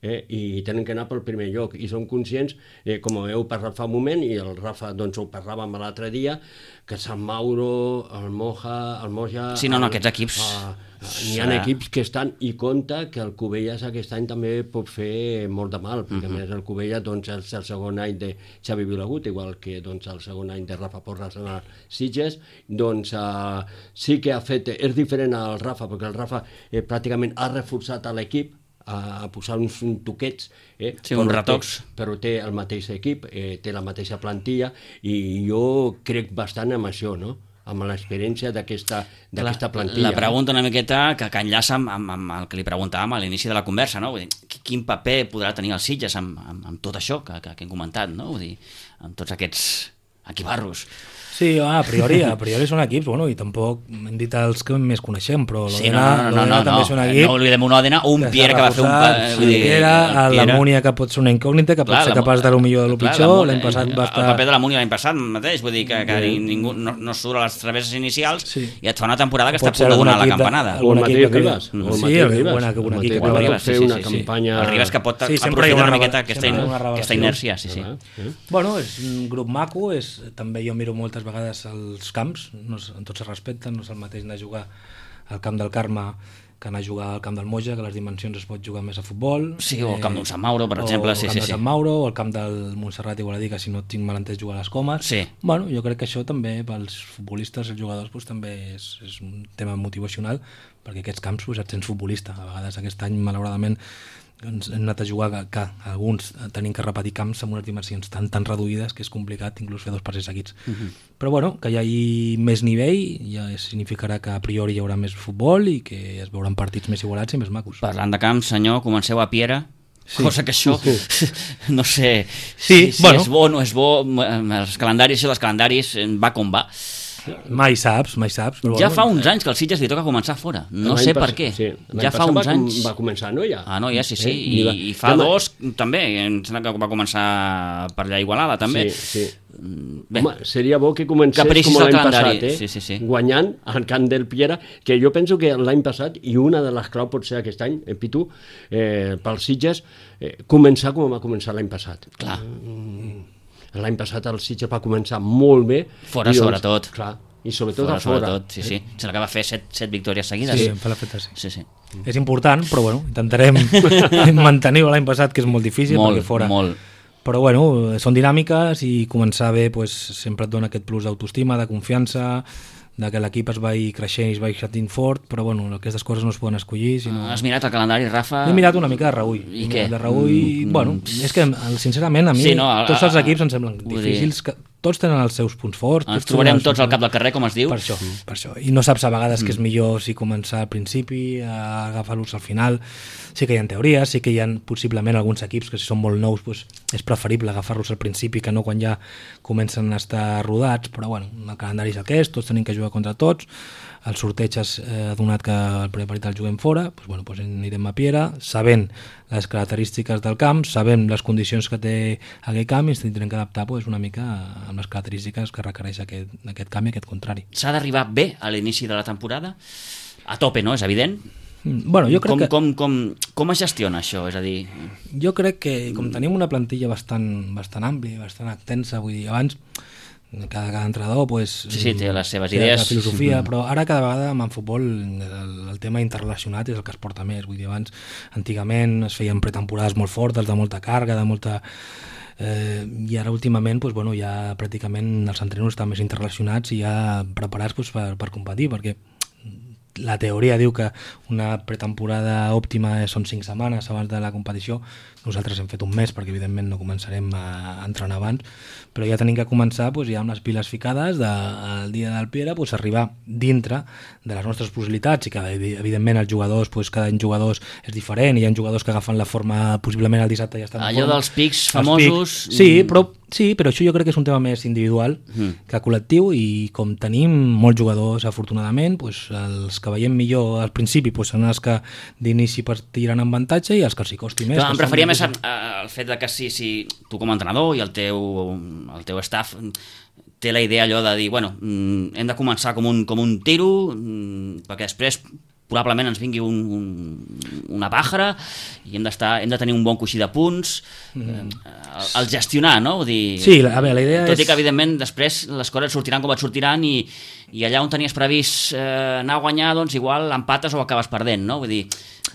eh, i tenen que anar pel primer lloc, i són conscients, eh, com heu parlat fa un moment, i el Rafa doncs, ho parlàvem l'altre dia, que Sant Mauro, el Moja, el Moja... Sí, no, no, el, aquests equips... Uh, N'hi ha equips que estan, i compta que el Cubelles aquest any també pot fer molt de mal, perquè uh-huh. a més el Cubelles doncs, és el segon any de Xavi Vilagut, igual que doncs, el segon any de Rafa Porras en el Sitges, doncs uh, sí que ha fet, és diferent al Rafa, perquè el Rafa eh, pràcticament ha reforçat a l'equip, a posar uns toquets, eh, sí, uns retocs. Té, però té el mateix equip, eh, té la mateixa plantilla, i jo crec bastant en això, no?, amb l'experiència d'aquesta plantilla. La pregunta una miqueta que, que enllaça amb, amb, amb el que li preguntàvem a l'inici de la conversa, no? Vull dir, quin paper podrà tenir els Sitges amb, amb, amb tot això que, que, que hem comentat, no? Vull dir, amb tots aquests equibarros. Sí, a priori, a priori són equips, bueno, i tampoc hem dit els que més coneixem, però sí, no, no, no, no, també no, és un equip... No oblidem un Òdena, un Pierre que va fer un... Sí, vull dir, Piera, el Múnia, que pot ser una incògnita, que pot ser capaç de lo millor de lo pitjor, l'any passat va estar... El paper de la Múnia l'any passat mateix, vull dir que, que ningú no, no surt a les travesses inicials sí. i et fa una temporada que està a punt de donar la campanada. O el mateix Ribas. Sí, el Ribas. El Ribas fer una campanya... El Ribas que pot aprofitar una miqueta aquesta inèrcia, sí, sí. Bueno, és un grup maco, també jo miro moltes vegades els camps, no en tots es respecten, no és el mateix anar a jugar al camp del Carme que anar a jugar al camp del Moja, que les dimensions es pot jugar més a futbol. Sí, o al camp d'un Sant Mauro, per exemple. O sí, al camp sí, de Sant sí. Mauro, o al camp del Montserrat, igual a dir que si no tinc mal entès jugar a les Comes. Sí. Bueno, jo crec que això també pels futbolistes, els jugadors, doncs, també és, és un tema motivacional, perquè aquests camps doncs, et sents futbolista. A vegades aquest any, malauradament, ens hem anat a jugar que, que alguns tenim que repetir camps amb unes dimensions tan tan reduïdes que és complicat inclús fer dos partits seguits. Uh-huh. Però bueno, que hi hagi més nivell ja significarà que a priori hi haurà més futbol i que es veuran partits més igualats i més macos. Parlant de camps, senyor, comenceu a Piera, sí. Cosa que això, sí. no sé sí, si, si bueno. és bo o no és bo, els calendaris, els calendaris va com va. Mai saps, mai saps. Però ja bueno, fa uns anys que els Sitges li toca començar fora. No sé per què. Sí, ja fa uns va, anys. Va començar a Noia. Ah, Noia, sí, sí. Eh? I, I, I fa Demà... dos també. Em sembla que va començar per allà a Igualada també. Sí, sí. Bé. Home, seria bo que comencés Capricis com l'any calendari. passat, eh? Sí, sí, sí. Guanyant al camp del Piera, que jo penso que l'any passat, i una de les claus pot ser aquest any, eh, Pitu, eh, pels Sitges, eh, començar com va començar l'any passat. Clar. Mm, l'any passat el Sitges va començar molt bé. Fora, i, doncs, sobretot. Clar, i sobretot fora, a fora. Sobretot, sí, sí. Sembla que va fer set, set victòries seguides. Sí, fa la feta, sí. sí, sí. És important, però bueno, intentarem mantenir-ho l'any passat, que és molt difícil, molt, perquè fora... Molt. Però bueno, són dinàmiques i començar bé pues, sempre et dona aquest plus d'autoestima, de confiança, de que l'equip es vagi creixent i es vagi sentint fort, però bueno, aquestes coses no es poden escollir. Sinó... Has mirat el calendari, Rafa? He mirat una mica de reüll. I què? De reüll, mm, bueno, és que sincerament a mi sí, no, a, tots els equips em semblen difícils, que tots tenen els seus punts forts. Ens trobarem tots al cap del carrer, com es diu. Per això, per això. I no saps a vegades mm. que és millor si començar al principi, a agafar-los al final. Sí que hi ha teories, sí que hi ha possiblement alguns equips que si són molt nous pues, és preferible agafar-los al principi que no quan ja comencen a estar rodats, però bueno, el calendari és el que és, tots tenim que jugar contra tots, el sorteig ha eh, donat que el primer partit el juguem fora, doncs, bueno, doncs anirem a Piera, sabent les característiques del camp, sabent les condicions que té aquell camp i ens tindrem que adaptar doncs, una mica amb les característiques que requereix aquest, aquest camp i aquest contrari. S'ha d'arribar bé a l'inici de la temporada? A tope, no? És evident? Bueno, jo crec com, que... com, com, com es gestiona això? És a dir... Jo crec que com tenim una plantilla bastant, bastant àmplia, bastant extensa, vull dir, abans cada, cada entrenador pues, sí, sí, té les seves té idees, la filosofia, mm-hmm. però ara cada vegada en futbol el, el tema interrelacionat és el que es porta més. Vull dir, abans, antigament es feien pretemporades molt fortes, de molta càrrega, de molta... Eh, i ara últimament pues, bueno, ja pràcticament els entrenadors estan més interrelacionats i ja preparats pues, per, per competir, perquè la teoria diu que una pretemporada òptima són cinc setmanes abans de la competició. Nosaltres hem fet un mes perquè evidentment no començarem a entrenar abans, però ja tenim que començar doncs, ja amb les piles ficades del dia del Piera, doncs, arribar dintre de les nostres possibilitats i que evidentment els jugadors, doncs, cada any jugadors és diferent, hi ha jugadors que agafen la forma possiblement el dissabte ja estan allò forma. Dels pics famosos pics, sí, però, sí, però això jo crec que és un tema més individual mm. que col·lectiu i com tenim molts jugadors afortunadament, doncs, els que veiem millor al principi doncs, són els que d'inici partiran en avantatge i els que els hi costi més. Clar, em preferia més el fet de que si, si tu com a entrenador i el teu, el teu staff té la idea allò de dir, bueno, hem de començar com un, com un tiro perquè després probablement ens vingui un, un, una pàjara i hem, hem de tenir un bon coixí de punts, mm. eh, el, el gestionar, no? Vull dir, sí, a veure, la idea tot és... i que, evidentment, després les coses sortiran com et sortiran i, i allà on tenies previst eh, anar a guanyar, doncs igual empates o acabes perdent, no? Vull dir,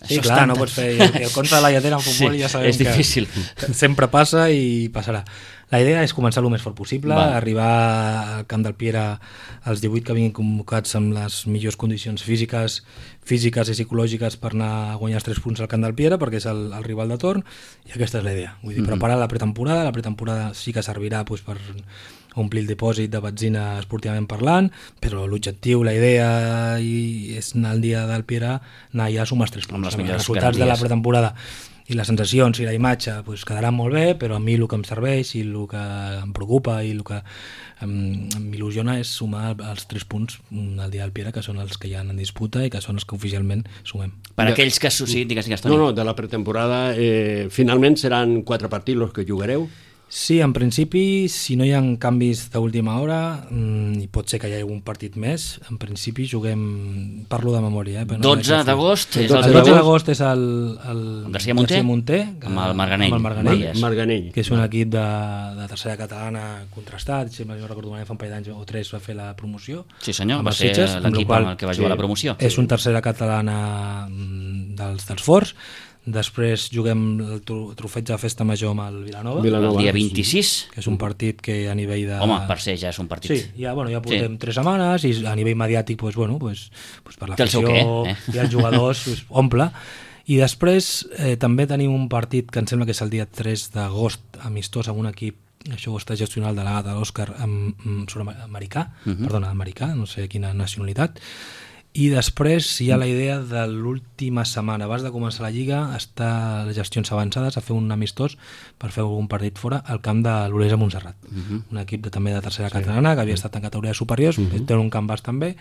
sí, clar, no pots fer el, el contra de la lletera en futbol sí, i ja sabem és difícil. Que sempre passa i passarà. La idea és començar el més fort possible, Va. arribar al Camp del Piera als divuit que vinguin convocats amb les millors condicions físiques, físiques i psicològiques per anar a guanyar els tres punts al Camp del Piera, perquè és el, el rival de torn, i aquesta és la idea. Vull dir, mm-hmm. preparar la pretemporada, la pretemporada sí que servirà doncs, per omplir el dipòsit de benzina esportivament parlant, però l'objectiu, la idea i és anar al dia del Piera, anar ja a sumar els tres punts. Els resultats garanties. de la pretemporada i les sensacions i la imatge pues, quedaran molt bé, però a mi el que em serveix i el que em preocupa i el que em, m'il·lusiona és sumar els tres punts al dia del Piera, que són els que hi ha en disputa i que són els que oficialment sumem. Per de... aquells que... Sí, digues, digues, Toni. No, no, de la pretemporada eh, finalment seran quatre partits els que jugareu? Sí, en principi, si no hi ha canvis d'última hora, mmm, i pot ser que hi hagi un partit més, en principi juguem, parlo de memòria... Eh, dotze d'agost és el, el dotze d'agost és el, el García Monter, Monter que, amb el Marganell, amb el Marganell, Mar Marganell, que és un equip de, de tercera catalana contrastat, si no recordo malament, fa un parell d'anys o tres va fer la promoció. Sí senyor, va ser l'equip amb el que va jugar sí, la promoció. És un tercera catalana dels, dels forts. Després juguem el trofeig de festa major amb el Vilanova, Vilanova. El dia vint-i-sis, que és un partit que a nivell de... Home, per ser ja és un partit. Sí, ja, bueno, ja portem sí. tres setmanes i a nivell mediàtic pues, bueno, pues, pues per l'afició eh? i els jugadors pues, omple. I després eh, també tenim un partit que em sembla que és el dia tres d'agost, amistós amb un equip, això ho està gestionant el delegat de l'Òscar sud-americà, uh -huh. perdona, americà, no sé quina nacionalitat. I després hi ha la idea de l'última setmana, abans de començar la Lliga, està les gestions avançades a fer un amistós per fer algun partit fora al camp de l'Olesa Montserrat, uh-huh. un equip de, també de tercera sí. catalana que havia estat en categories superiors, uh-huh. té un camp bastant bé,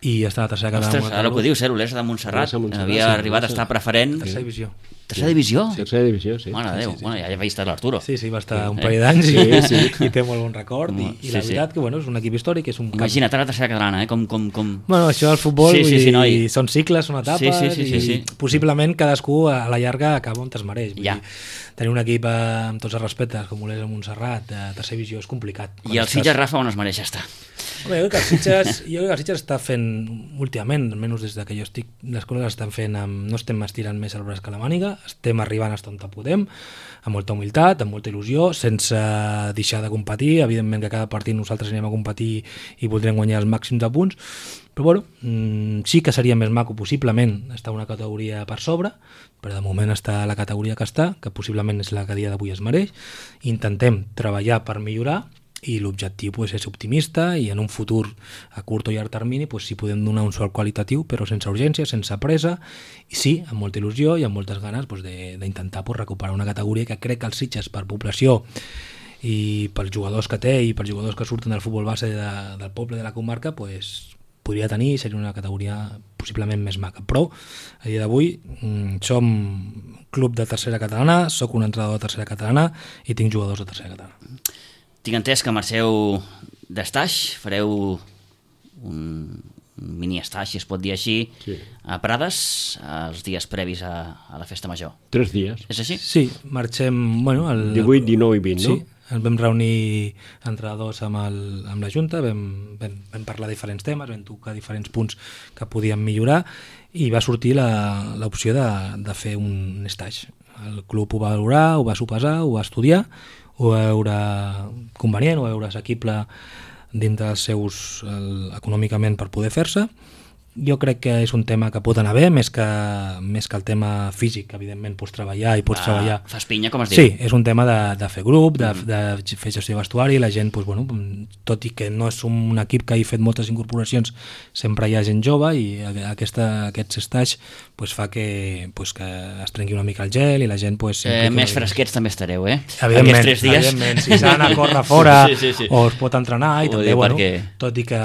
i està a la tercera catalana. Ostres, ara que ho dius, eh, l'Olesa de Montserrat, Montserrat havia sí, arribat a estar preferent. Tercera divisió. Tercera divisió? Sí, tercera divisió, sí. Mare de Déu, sí, sí, sí. bueno, ja havia estat l'Arturo. Sí, sí, va estar un parell d'anys sí, i, sí. i té molt bon record. I, i sí, la veritat sí. que bueno, és un equip històric, és un camp... Imagina't a la tercera catalana, eh? Com, com, com... Bueno, això del futbol, sí, sí, sí, vull dir, dir, són cicles, són etapes, sí, sí, sí, sí, sí. i possiblement cadascú a la llarga acaba on es mereix. Vull ja. dir, tenir un equip eh, amb tots els respectes, com Olesa Montserrat, de tercera divisió, és complicat. I el Sitges, Rafa, on es mereix estar? Home, jo crec que el Sitges, jo crec que el Sitges està fent últimament, almenys des que jo estic, les coses estan fent, amb, no estem estirant més el braç que la màniga, estem arribant fins on podem, amb molta humilitat, amb molta il·lusió, sense deixar de competir. Evidentment que cada partit nosaltres anem a competir i voldrem guanyar els màxims de punts, però bueno, mmm, sí que seria més maco possiblement estar una categoria per sobre, però de moment està la categoria que està, que possiblement és la que a dia d'avui es mereix. Intentem treballar per millorar i l'objectiu pues, és optimista i en un futur a curt o llarg termini pues, sí podem donar un salt qualitatiu però sense urgència, sense pressa i sí, amb molta il·lusió i amb moltes ganes pues, d'intentar pues, recuperar una categoria que crec que els Sitges per població i pels jugadors que té i pels jugadors que surten del futbol base de, del poble de la comarca pues, podria tenir i seria una categoria possiblement més maca, però a dia d'avui mm, som club de tercera catalana, sóc un entrenador de tercera catalana i tinc jugadors de tercera catalana. Tinc entès que marxeu d'estaix, fareu un, un mini estaix, si es pot dir així, sí. a Prades, els dies previs a, a la festa major. Tres dies. És així? Sí, marxem... Bueno, el, divuit, dinou i vint, sí, no? Sí, ens vam reunir entrenadors amb, el, amb la Junta, vam, vam, vam parlar de diferents temes, vam tocar diferents punts que podíem millorar i va sortir l'opció de, de fer un estaix. El club ho va valorar, ho va sopesar, ho va estudiar, ho va veure convenient, ho va veure assequible dintre dels seus el, econòmicament per poder fer-se. Jo crec que és un tema que pot anar bé, més que, més que el tema físic, que evidentment pots treballar i pots ah, treballar... Fas pinya, com es diu? Sí, és un tema de, de fer grup, de, mm. de fer gestió de vestuari, la gent, doncs, bueno, tot i que no és un equip que hagi fet moltes incorporacions, sempre hi ha gent jove i aquesta, aquests estaix pues, fa que, pues, que es trenqui una mica el gel i la gent... Pues, eh, més fresquets també estareu, eh? Evidentment, tres dies. evidentment si s'ha d'anar a córrer fora sí, sí, sí. o es pot entrenar i ho també, bueno, perquè... tot i que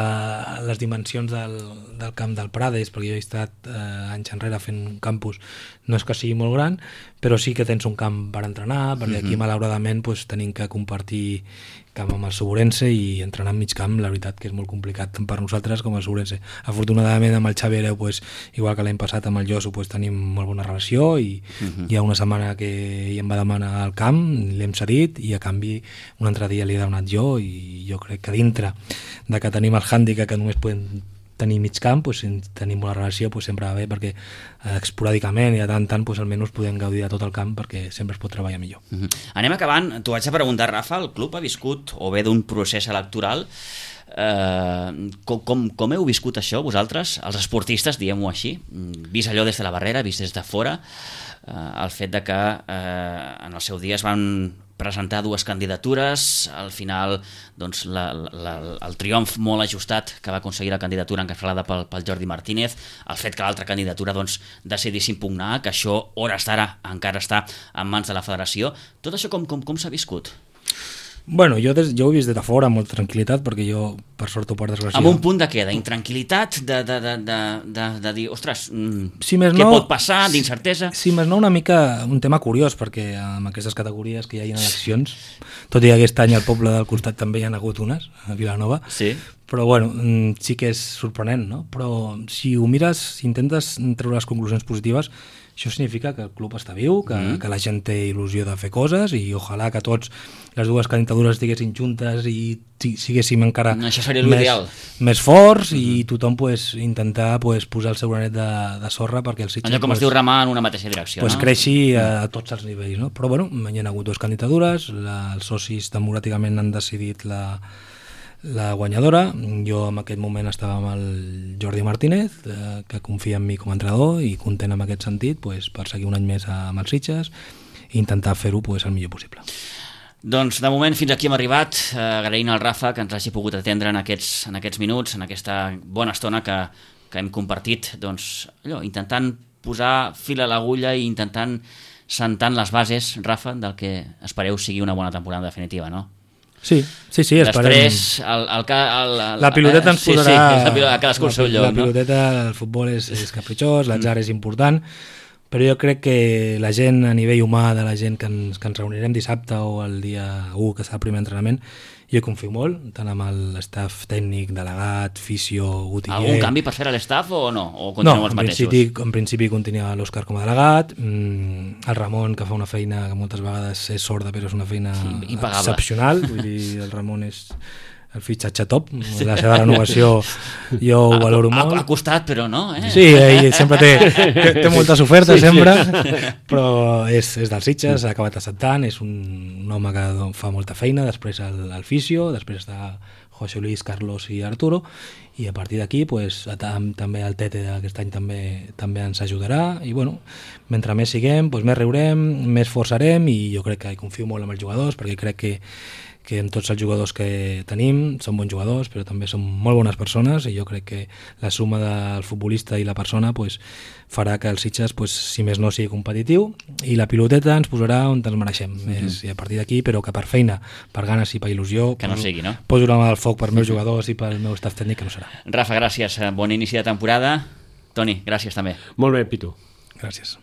les dimensions del, del camp de del Prades, perquè jo he estat eh, anys enrere fent un campus, no és que sigui molt gran, però sí que tens un camp per entrenar, perquè aquí malauradament pues, tenim que compartir camp amb el Suburense i entrenar en mig camp, la veritat que és molt complicat tant per nosaltres com el Suburense. Afortunadament amb el Xavi Hereu, pues, igual que l'any passat amb el Josu, pues, tenim molt bona relació i uh-huh. hi ha una setmana que ell em va demanar al camp, l'hem cedit i a canvi un altre dia li he donat jo i jo crec que dintre de que tenim el hàndicap que només podem tenir mig camp, pues, si tenim una relació pues, sempre va bé perquè eh, esporàdicament i de tant en tant pues, almenys podem gaudir de tot el camp perquè sempre es pot treballar millor. Uh-huh. Anem acabant. T'ho vaig a preguntar, Rafa, el club ha viscut o bé d'un procés electoral. Eh, com, com, com heu viscut això vosaltres, els esportistes, diguem-ho així, vist allò des de la barrera, vist des de fora, eh, el fet de que eh, en el seu dia es van presentar dues candidatures, al final doncs, la, la, el triomf molt ajustat que va aconseguir la candidatura encapçalada pel, pel Jordi Martínez, el fet que l'altra candidatura doncs, decidís impugnar, que això hores d'ara encara està en mans de la federació. Tot això com, com, com s'ha viscut? Bueno, jo, des, jo ho he vist des de fora amb molta tranquil·litat perquè jo, per sort o per desgràcia... Amb un punt de què? D'intranquil·litat? De, de, de, de, de, de dir, ostres, si més què no, pot passar? D'incertesa? Si més no, una mica un tema curiós, perquè amb aquestes categories que hi ha eleccions, tot i que aquest any al poble del costat també hi ha hagut unes, a Vilanova, sí. Però bueno, sí que és sorprenent, no? Però si ho mires, si intentes treure les conclusions positives, això significa que el club està viu, que, mm. que la gent té il·lusió de fer coses i ojalà que tots les dues candidatures estiguessin juntes i siguéssim encara no, això seria més, més forts mm. i tothom pues, intentar pues, posar el seu granet de, de sorra perquè el Sitges... Allò com pues, es diu remar en una mateixa direcció, pues, no? creixi a, a tots els nivells, no? Però bueno, hi ha hagut dues candidatures, la, els socis democràticament han decidit la... la guanyadora. Jo en aquest moment estava amb el Jordi Martínez, eh, que confia en mi com a entrenador i content en aquest sentit pues, per seguir un any més amb els Sitges i intentar fer-ho pues, el millor possible. Doncs de moment fins aquí hem arribat, eh, agraint al Rafa que ens hagi pogut atendre en aquests, en aquests minuts, en aquesta bona estona que, que hem compartit, doncs, allò, intentant posar fil a l'agulla i intentant sentant les bases, Rafa, del que espereu sigui una bona temporada definitiva, no? Sí, sí, sí, esperem. Després, el, el, el, el, la piloteta ens sí, posarà... Sí, la piloteta, cadascú al seu lloc, la piloteta, no? El futbol és, és capritxós, l'atzar és important, però jo crec que la gent, a nivell humà, de la gent que ens, que ens reunirem dissabte o el dia u, que serà el primer entrenament, jo confio molt, tant amb l'estaf tècnic, delegat, fisio, utiller... Algun canvi per fer a l'estaf o no? O continuem no, els en mateixos? principi, en principi continua l'Òscar com a delegat, mm, el Ramon, que fa una feina que moltes vegades és sorda, però és una feina impagable, excepcional, vull dir, el Ramon és el fitxatge top, la seva renovació jo ho valoro ha, molt. Ha costat, però no, eh? Sí, ell sempre té, té, té moltes ofertes, sí, sempre, però és, és dels Sitges, ha acabat acceptant, és un, un home que fa molta feina, després el, el fisio, després està José Luis, Carlos i Arturo, i a partir d'aquí pues, també el Tete d'aquest any també també ens ajudarà, i bueno, mentre més siguem, pues, més riurem, més forçarem, i jo crec que confio molt en els jugadors, perquè crec que que en tots els jugadors que tenim són bons jugadors, però també són molt bones persones i jo crec que la suma del futbolista i la persona pues, farà que el Sitges, pues, si més no, sigui competitiu i la piloteta ens posarà on ens mereixem. Mm-hmm. És, i a partir d'aquí, però que per feina, per ganes i per il·lusió, que no sigui, no? Poso la mà al foc per meus jugadors i pel meu staff tècnic, que no serà. Rafa, gràcies. Bon inici de temporada. Toni, gràcies també. Molt bé, Pitu. Gràcies.